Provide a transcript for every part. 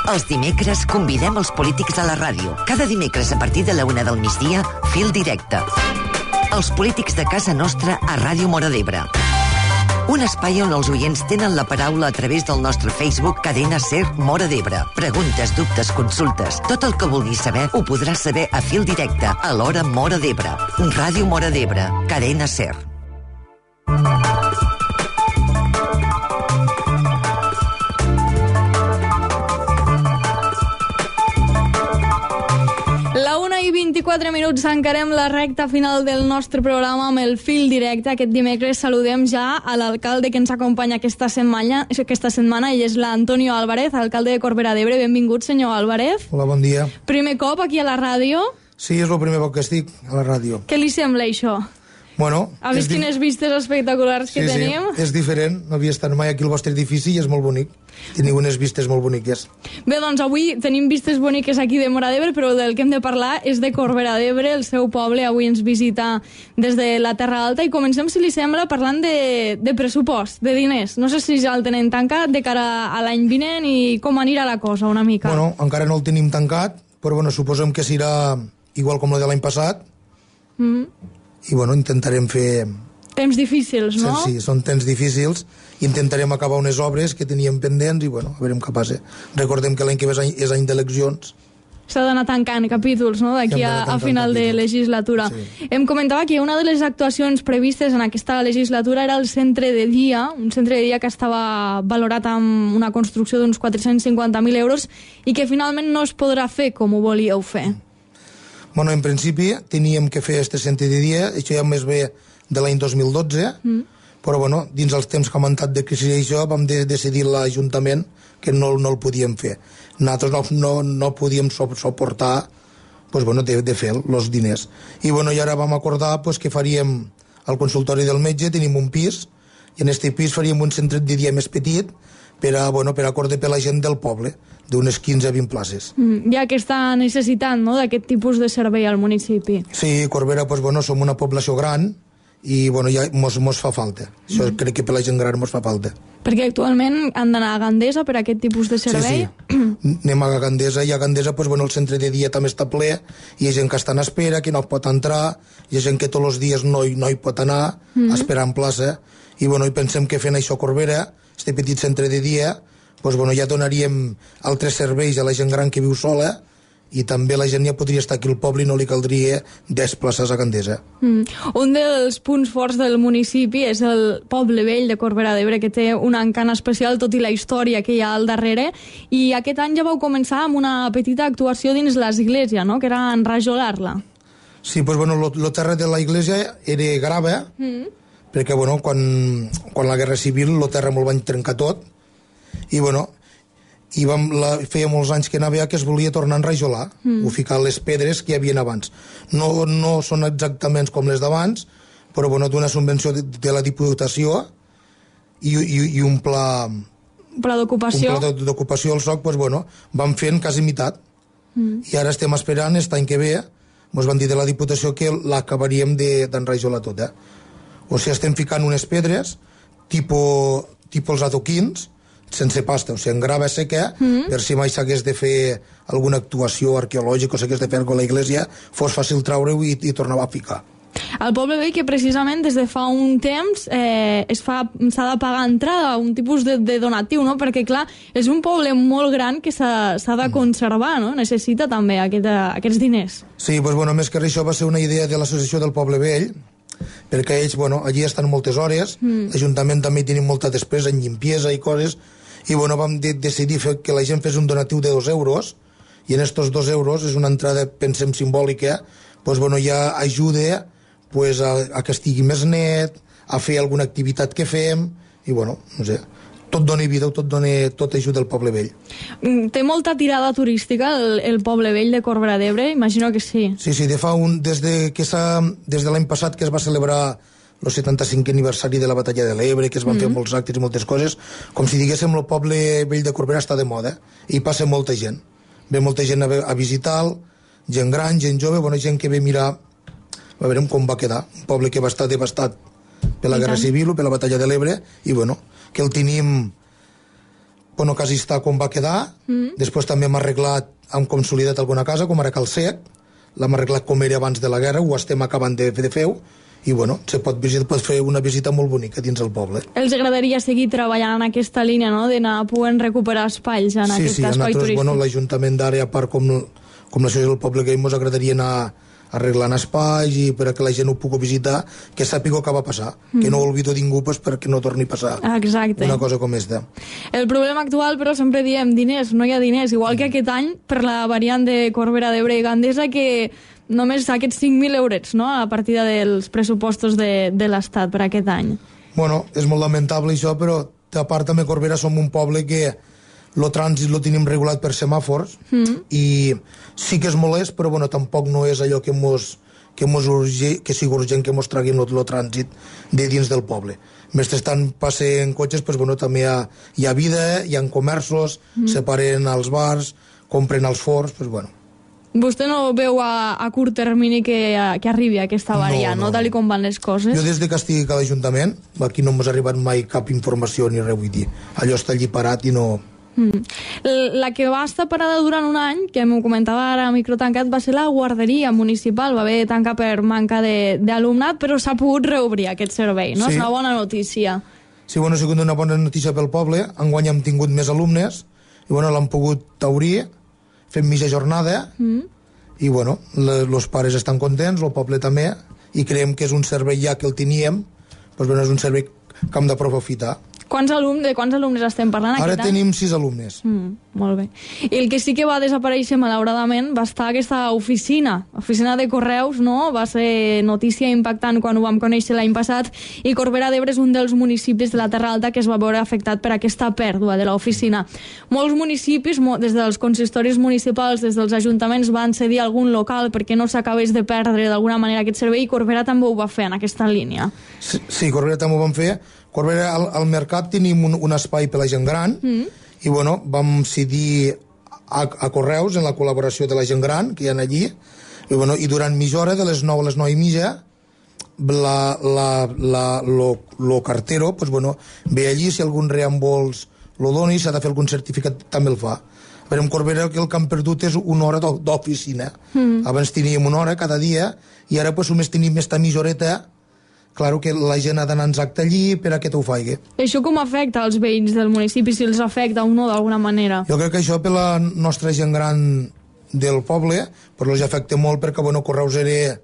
Els dimecres convidem els polítics a la ràdio. Cada dimecres a partir de la 1 del migdia, Fil Directe. Els polítics de casa nostra a Ràdio Móra d'Ebre. Un espai on els oients tenen la paraula a través del nostre Facebook Cadena Ser Móra d'Ebre. Preguntes, dubtes, consultes. Tot el que vulguis saber ho podràs saber a Fil Directe a l'hora Móra d'Ebre. Ràdio Móra d'Ebre. Cadena Ser. La 1:24, encarem la recta final del nostre programa amb el Fil Directe. Aquest dimecres saludem ja a l'alcalde que ens acompanya aquesta setmana. Ell és l'Antonio Álvarez, alcalde de Corbera d'Ebre. Benvingut, senyor Álvarez. Hola, bon dia. Primer cop aquí a la ràdio? Sí, és el primer cop que estic a la ràdio. Què li sembla això? Bueno... Ha vist quines vistes espectaculars que tenim? Sí, és diferent. No havia estat mai aquí al vostre edifici i és molt bonic. Teniu unes vistes molt boniques. Bé, doncs avui tenim vistes boniques aquí de Móra d'Ebre, però del que hem de parlar és de Corbera d'Ebre, el seu poble. Avui ens visita des de la Terra Alta i comencem, si li sembla, parlant de pressupost, de diners. No sé si ja el tenen tancat de cara a l'any vinent i com anirà la cosa una mica. Bueno, encara no el tenim tancat, però bueno, suposem que serà igual com el de l'any passat. I bueno, intentarem fer... Temps difícils, no? Sí, són temps difícils. Intentarem acabar unes obres que teníem pendents i bueno, a veure què passa. Recordem que l'any que ve és any d'eleccions. S'ha d'anar tancant capítols, no?, d'aquí a final de legislatura. Sí. Em comentava que una de les actuacions previstes en aquesta legislatura era el centre de dia, un centre de dia que estava valorat amb una construcció d'uns 450.000 euros i que finalment no es podrà fer com ho volíeu fer. Bueno, en principi teníem que fer este centre de dia, això ja més bé de l'any 2012, però bueno, dins els temps que ha augmentat de crisi i això vam decidir l'Ajuntament que no el podíem fer. Nosaltres no podíem suportar pues, bueno, de fer els diners. I bueno, i ara vam acordar pues, que faríem al consultori del metge, tenim un pis, i en aquest pis faríem un centre de dia més petit per acorde per la gent del poble, d'unes 15 a 20 places. Hi ha aquesta necessitat, no?, d'aquest tipus de servei al municipi. Sí, Corbera, pues, bueno, som una població gran i bueno, ja mos fa falta. Això crec que per la gent gran mos fa falta. Perquè actualment han d'anar a Gandesa per aquest tipus de servei? Sí. Anem a Gandesa i a Gandesa pues, bueno, el centre de dia també està ple, hi ha gent que està en espera, que no pot entrar, hi ha gent que tots els dies no hi pot anar a esperar en plaça, i bueno, i pensem que fent això a Corbera, este petit centre de dia, pues, bueno, ja donaríem altres serveis a la gent gran que viu sola i també la gent ja podria estar aquí al poble i no li caldria desplaçar-se a Gandesa. Un dels punts forts del municipi és el poble vell de Corbera d'Ebre, que té un encant especial, tot i la història que hi ha al darrere, i aquest any ja vau començar amb una petita actuació dins l'església, no?, que era enrajolar-la. Sí, pues, bueno, lo terra de la iglesia era grava, perquè bueno, quan la Guerra Civil lo terra me'l van trencar tot, i bueno, feia molts anys que anava que es volia tornar a enrajolar, o ficar les pedres que hi havia abans. No són exactament com les d'abans, però bueno, d'una subvenció de la Diputació i un pla d'ocupació. Un pla d'ocupació al SOC, pues, bueno, van fent quasi meitat. I ara estem esperant, aquest any que ve, ens van dir de la Diputació que l'acabaríem d'enrajolar tot, O sigui, estem ficant unes pedres tipus els adoquins, sense pasta, o sigui, en grava seca, per si mai s'hagués de fer alguna actuació arqueològica o s'hagués de fer alguna cosa a l'església, fos fàcil treure-ho i tornar a ficar. El poble vell que precisament des de fa un temps s'ha de pagar entrada, un tipus de donatiu, no? Perquè clar, és un poble molt gran que s'ha de conservar, no? Necessita també aquests diners. Sí, doncs bueno, més que això va ser una idea de l'associació del poble vell, perquè ells, bueno, allí estan moltes hores, l'Ajuntament també tenim molta despesa en llimpiesa i coses, i bueno, vam decidir que la gent fes un donatiu de 2 euros, i en estos 2 euros és una entrada, pensem, simbòlica, doncs bueno, ja ajuda pues, a que estigui més net, a fer alguna activitat que fem, i bueno, no sé, tot dona vida, tot ajuda el poble vell. Té molta tirada turística el poble vell de Corbera d'Ebre? Imagino que sí. Sí, des de l'any passat que es va celebrar el 75è aniversari de la batalla de l'Ebre, que es van fer molts actes i moltes coses, com si diguéssim el poble vell de Corbera està de moda, i passa molta gent. Ve molta gent a visitar-lo, gent gran, gent jove, bona gent que ve mirar, a veure com va quedar, un poble que va estar devastat per la Guerra Civil o per la batalla de l'Ebre, i bueno, que el tenim bueno, quasi està com va quedar. Després també hem arreglat, hem consolidat alguna casa, com ara Cal Sec, l'hem arreglat com era abans de la guerra, ho estem acabant de fer, i bueno, se pot fer una visita molt bonica dins el poble. Els agradaria seguir treballant en aquesta línia, no?, d'anar podent recuperar espais en aquest espai turístic. Bueno, l'Ajuntament d'ara, a part com la ciutat del poble que ens agradaria anar arreglant espais i perquè la gent ho pugui visitar, que sàpiga què va passar, que no ho oblido ningú perquè no torni a passar una cosa com esta. El problema actual, però, sempre diem diners, no hi ha diners, igual que aquest any per la variant de Corbera d'Ebre i Gandesa, que només aquests 5.000 eurets, no?, a la partida dels pressupostos de l'Estat per aquest any. Bueno, és molt lamentable això, però a part també Corbera som un poble que el trànsit lo tenim regulat per semàfors i sí que és molest, però bueno, tampoc no és allò que sigui urgent que mos traguin el trànsit de dins del poble. Mentrestant passen cotxes, pues, bueno, també hi ha vida, hi ha comerços, se paren als bars, compren als forns, pues, bueno. Vostè no veu a curt termini que arribi aquesta variant, no? Tal com van les coses? Jo des que estigui a l'Ajuntament, aquí no m'ha arribat mai cap informació ni res, vull dir. Allò està allí parat i no... La que va estar parada durant un any, que m'ho comentava ara a microtancat, va ser la guarderia municipal. Va haver de tancar per manca d'alumnat, però s'ha pogut reobrir aquest servei, no? Sí. És una bona notícia. Sí, bueno, ha sigut una bona notícia pel poble. Enguany hem tingut més alumnes i bueno, l'han pogut obrir, fent mitja jornada i bueno, els pares estan contents, el poble també, i creiem que és un servei ja que el teníem, doncs bueno, és un servei que hem d'aprofitar. De quants alumnes estem parlant aquest any? Ara tenim 6 alumnes. Molt bé. I el que sí que va desaparèixer, malauradament, va estar aquesta oficina de correus, no? Va ser notícia impactant quan ho vam conèixer l'any passat, i Corbera d'Ebre és un dels municipis de la Terra Alta que es va veure afectat per aquesta pèrdua de l'oficina. Molts municipis, des dels consistoris municipals, des dels ajuntaments, van cedir algun local perquè no s'acabés de perdre d'alguna manera aquest servei, i Corbera també ho va fer en aquesta línia. Sí, Corbera també ho van fer. Corbera, al mercat tenim un espai per la gent gran i bueno, vam cedir a Correus en la col·laboració de la gent gran que hi ha allí i, bueno, i durant mitja hora, de les 9 a les 9 i mitja, lo cartero pues, bueno, ve allí, si algun reembols lo doni, s'ha de fer algun certificat, també el fa. A veure, en Corbera el que han perdut és una hora d'oficina. Abans teníem una hora cada dia i ara pues, només tenim esta mitja horeta. Claro que la gent ha d'anar exacte allí per a que t'ho faigui. Això com afecta als veïns del municipi, si els afecta o no d'alguna manera? Jo crec que això per la nostra gent gran del poble però els afecta molt perquè bueno, Correus era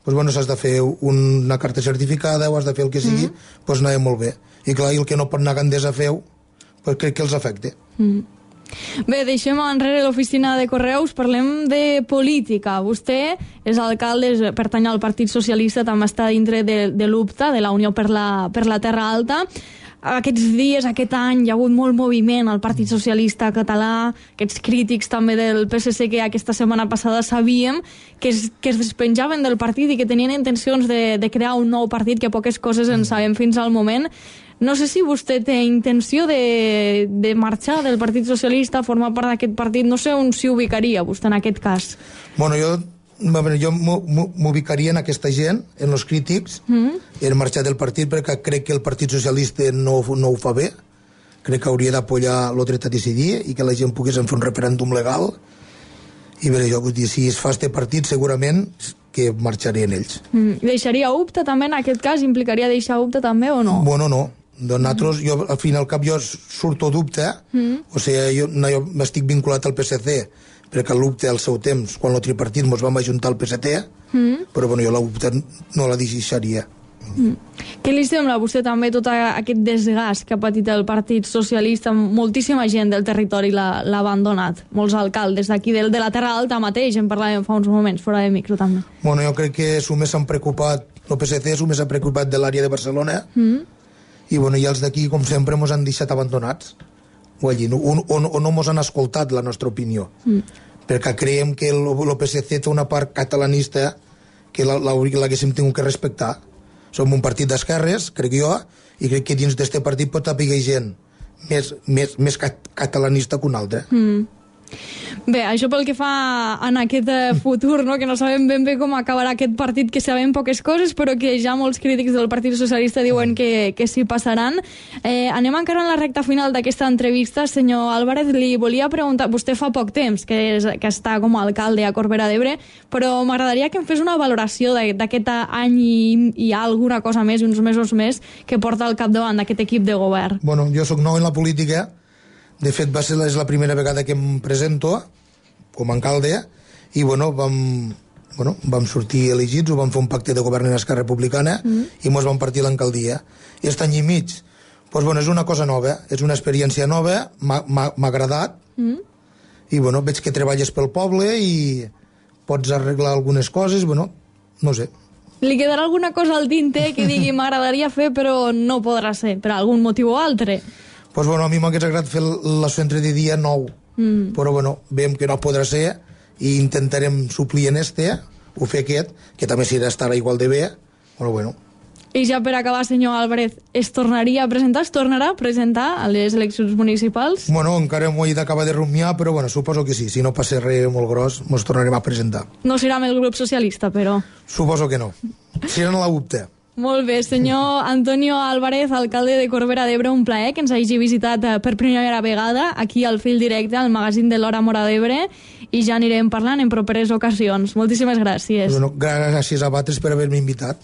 pues, bueno, s'has de fer una carta certificada o has de fer el que sigui, pues anava molt bé. I clar, i el que no pot anar a Gandesa a fer-ho, pues crec que els afecta. Bé, deixem enrere l'oficina de Correus, parlem de política. Vostè és alcalde, pertany al Partit Socialista, també està dintre de l'UPTA, de la Unió per la Terra Alta. Aquests dies, aquest any, hi ha hagut molt moviment al Partit Socialista català, aquests crítics també del PSC que aquesta setmana passada sabíem que es despenjaven del partit i que tenien intencions de crear un nou partit, que poques coses en sabem fins al moment. No sé si vostè té intenció de marxar del Partit Socialista, formar part d'aquest partit. No sé on s'hi ubicaria vostè en aquest cas. Bueno, jo m'ubicaria en aquesta gent, en els crítics, en marxar del partit, perquè crec que el Partit Socialista no ho fa bé. Crec que hauria d'apoyar el dret a decidir i que la gent pogués fer un referèndum legal. I bé, jo vull dir, si es fa este partit, segurament que marxarien ells. Deixaria UPTA també en aquest cas? Implicaria deixar UPTA també o no? Bueno, no. Nosaltres, jo, al fin i al cap, jo surto d'UPTA, o sigui, jo m'estic vinculat al PSC, perquè l'UPTA al seu temps, quan el tripartit ens vam ajuntar al PSC, però bueno, jo l'UPTA no la deixaria. Què li sembla a vostè també tot aquest desgast que ha patit el Partit Socialista? Moltíssima gent del territori l'ha abandonat, molts alcaldes d'aquí de la Terra Alta mateix, en parlàvem fa uns moments, fora de micro també. Bueno, jo crec que només s'han preocupat, el PSC només s'ha preocupat de l'àrea de Barcelona, i bueno, i els d'aquí, com sempre, ens han deixat abandonats, o no ens han escoltat la nostra opinió, perquè creiem que el PSC té una part catalanista que l'haguéssim tingut que respectar. Som un partit d'esquerres, crec jo, i crec que dins d'aquest partit pot haver gent més catalanista que un altre. Bé, això pel que fa en aquest futur, no? Que no sabem ben bé com acabarà aquest partit, que sabem poques coses, però que ja molts crítics del Partit Socialista diuen que s'hi passaran. Anem encara en la recta final d'aquesta entrevista. Senyor Álvarez, li volia preguntar... Vostè fa poc temps que està com a alcalde a Corbera d'Ebre, però m'agradaria que em fes una valoració d'aquest any i alguna cosa més, uns mesos més, que porta al capdavant d'aquest equip de govern. Bueno, jo sóc nou en la política. De fet, és la primera vegada que em presento com a alcalde i vam sortir elegits, ho vam fer un pacte de govern en Esquerra Republicana i mos vam partir l'alcaldia. I aquest any i mig, és una cosa nova, és una experiència nova, m'ha agradat i veig que treballes pel poble i pots arreglar algunes coses, no sé. Li quedarà alguna cosa al tinter que digui m'agradaria fer però no podrà ser, per algun motiu o altre? A mi m'hagués agradat fer el centre de dia nou, però veiem que no podrà ser i intentarem suplir en o fer aquest, que també estarà igual de bé, però bueno. I ja per acabar, senyor Álvarez, es tornaria a presentar, es tornarà a presentar a les eleccions municipals? Encara m'ho he d'acabar de rumiar, però suposo que sí, si no passa res molt gros, ens tornarem a presentar. No serà amb el grup socialista, però? Suposo que no, serà en la UPTA. Molt bé, senyor Antonio Álvarez, alcalde de Corbera d'Ebre, un plaer que ens hagi visitat per primera vegada aquí al Fil Directe, al magazín de l'Hora Móra d'Ebre, i ja anirem parlant en properes ocasions. Moltíssimes gràcies. Gràcies a vosaltres per haver-me invitat.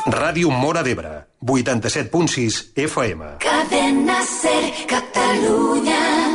Ràdio Móra d'Ebre, 87.6 FM. Cadena Ser, Catalunya.